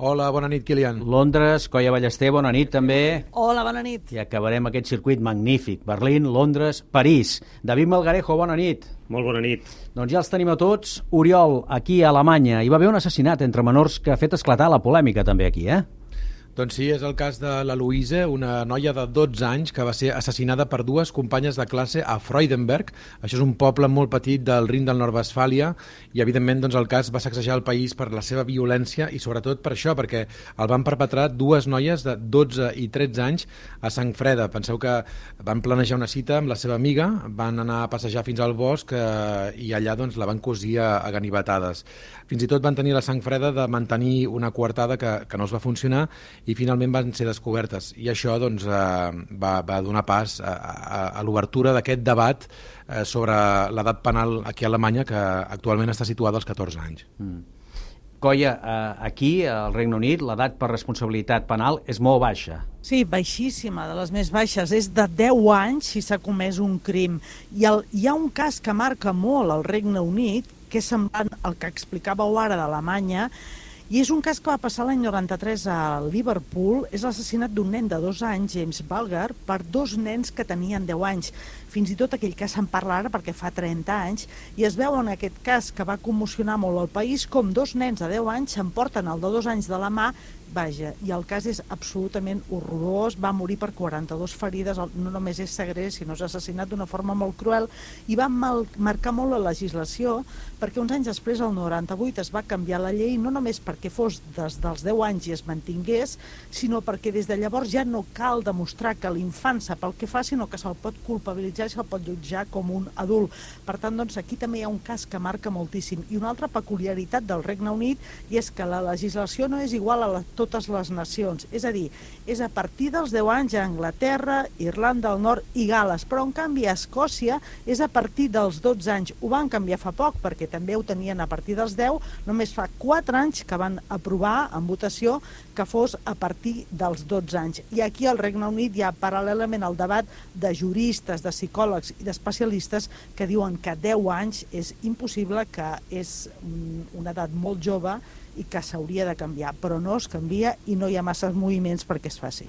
Hola, bona nit, Kilian. Londres, Coia Ballester, bona nit també. Hola, bona nit. I acabarem aquest circuit magnífic. Berlín, Londres, París. David Melgarejo, bona nit. Molt bona nit. Doncs ja els tenim a tots. Oriol, aquí a Alemanya. Hi va haver un assassinat entre menors que ha fet esclatar la polèmica també aquí, Doncs sí, és el cas de la Luise, una noia de 12 anys que va ser assassinada per dues companyes de classe a Freudenberg. Això és un poble molt petit del Rin del Nord-Westfàlia i, evidentment, doncs, el cas va sacsejar el país per la seva violència i, sobretot, per això, perquè el van perpetrar dues noies de 12 i 13 anys a Sang Freda. Penseu que van planejar una cita amb la seva amiga, van anar a passejar fins al bosc i allà doncs, la van cosir a ganivetades. Fins i tot van tenir la sang freda de mantenir una coartada que no els va funcionar i finalment van ser descobertes. I això doncs, va donar pas a l'obertura d'aquest debat sobre l'edat penal aquí a Alemanya, que actualment està situada als 14 anys. Coia, aquí, al Regne Unit, l'edat per responsabilitat penal és molt baixa. Sí, baixíssima, de les més baixes. És de 10 anys si s'ha comès un crim. Hi ha un cas que marca molt el Regne Unit, que és semblant al que explicàveu ara d'Alemanya, i és un cas que va passar l'any 93 a Liverpool. És l'assassinat d'un nen de 2 anys, James Bulger, per 2 nens que tenien 10 anys. Fins i tot aquell cas se'n parla ara perquè fa 30 anys, i es veu en aquest cas que va commocionar molt el país com 2 nens de 10 anys s'emporten el de 2 anys de la mà. Vaja, i el cas és absolutament horrorós, va morir per 42 ferides, no només és segrest, sinó és assassinat d'una forma molt cruel, i va marcar molt la legislació, perquè uns anys després, el 98, es va canviar la llei, no només perquè fos des dels 10 anys i es mantingués, sinó perquè des de llavors ja no cal demostrar que l'infant sap el que fa, sinó que se'l pot culpabilitzar i se'l pot jutjar com un adult. Per tant, doncs, aquí també hi ha un cas que marca moltíssim. I una altra peculiaritat del Regne Unit i és que la legislació no és igual a totes les nacions, és a dir, és a partir dels 10 anys a Anglaterra, Irlanda del Nord i Gal·les, però en canvi a Escòcia és a partir dels 12 anys. Ho van canviar fa poc, perquè també ho tenien a partir dels 10, només fa 4 anys que van aprovar en votació que fos a partir dels 12 anys. I aquí al Regne Unit hi ha paral·lelament el debat de juristes, de psicòlegs i d'especialistes que diuen que 10 anys és impossible, que és una edat molt jove i que s'hauria de canviar, però no es canvia i no hi ha massa moviments perquè es faci.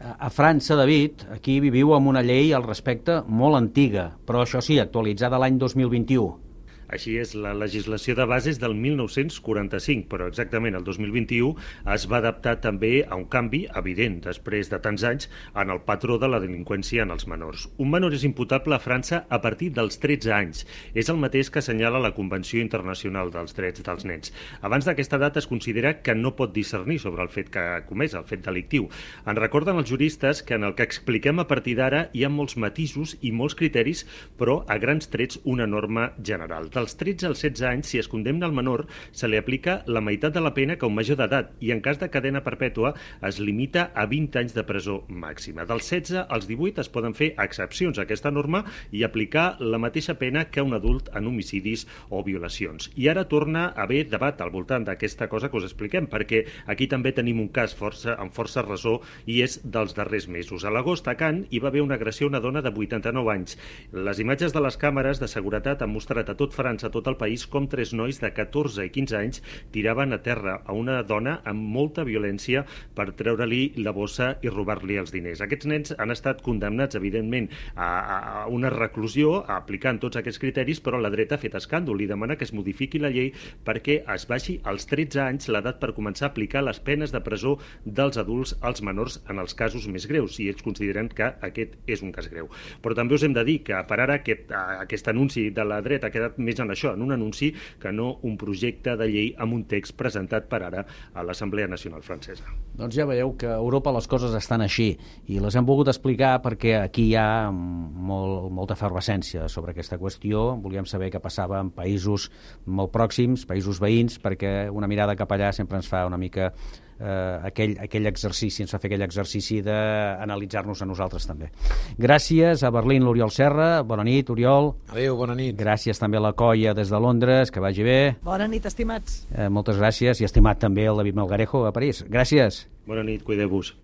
A França, David, aquí viviu amb una llei al respecte molt antiga, però això sí, actualitzada l'any 2021. Així és, la legislació de base és del 1945, però exactament el 2021 es va adaptar també a un canvi evident després de tants anys en el patró de la delinqüència en els menors. Un menor és imputable a França a partir dels 13 anys. És el mateix que assenyala la Convenció Internacional dels Drets dels Nens. Abans d'aquesta data es considera que no pot discernir sobre el fet que ha comès, el fet delictiu. En recorden els juristes que en el que expliquem a partir d'ara hi ha molts matisos i molts criteris, però a grans trets una norma general. Dels 13 als 16 anys, si es condemna al menor, se li aplica la meitat de la pena que un major d'edat i en cas de cadena perpètua es limita a 20 anys de presó màxima. Dels 16 als 18 es poden fer excepcions a aquesta norma i aplicar la mateixa pena que un adult en homicidis o violacions. I ara torna a haver debat al voltant d'aquesta cosa que us expliquem, perquè aquí també tenim un cas amb força ressò i és dels darrers mesos. A l'agost a Caen hi va haver una agressió a una dona de 89 anys. Les imatges de les càmeres de seguretat han mostrat a tot França, a tot el país, com 3 nois de 14 i 15 anys tiraven a terra a una dona amb molta violència per treure-li la bossa i robar-li els diners. Aquests nens han estat condemnats, evidentment, a una reclusió, aplicant tots aquests criteris, però la dreta ha fet escàndol i demana que es modifiqui la llei perquè es baixi als 13 anys l'edat per començar a aplicar les penes de presó dels adults als menors en els casos més greus, si ells consideren que aquest és un cas greu. Però també us hem de dir que per ara aquest anunci de la dreta ha quedat més en això, en un anunci, que no un projecte de llei amb un text presentat per ara a l'Assemblea Nacional Francesa. Doncs ja veieu que a Europa les coses estan així i les hem volgut explicar perquè aquí hi ha molta efervescència sobre aquesta qüestió. Volíem saber què passava en països molt pròxims, països veïns, perquè una mirada cap allà sempre ens fa una mica aquell exercici, ens fa fer aquell exercici d'analitzar-nos a nosaltres també. Gràcies a Berlín, l'Oriol Serra. Bona nit, Oriol. Adéu, bona nit. Gràcies també a la Coia des de Londres, que vagi bé. Bona nit, estimats. Moltes gràcies, i estimat també el David Melgarejo a París. Gràcies. Bona nit, cuideu-vos.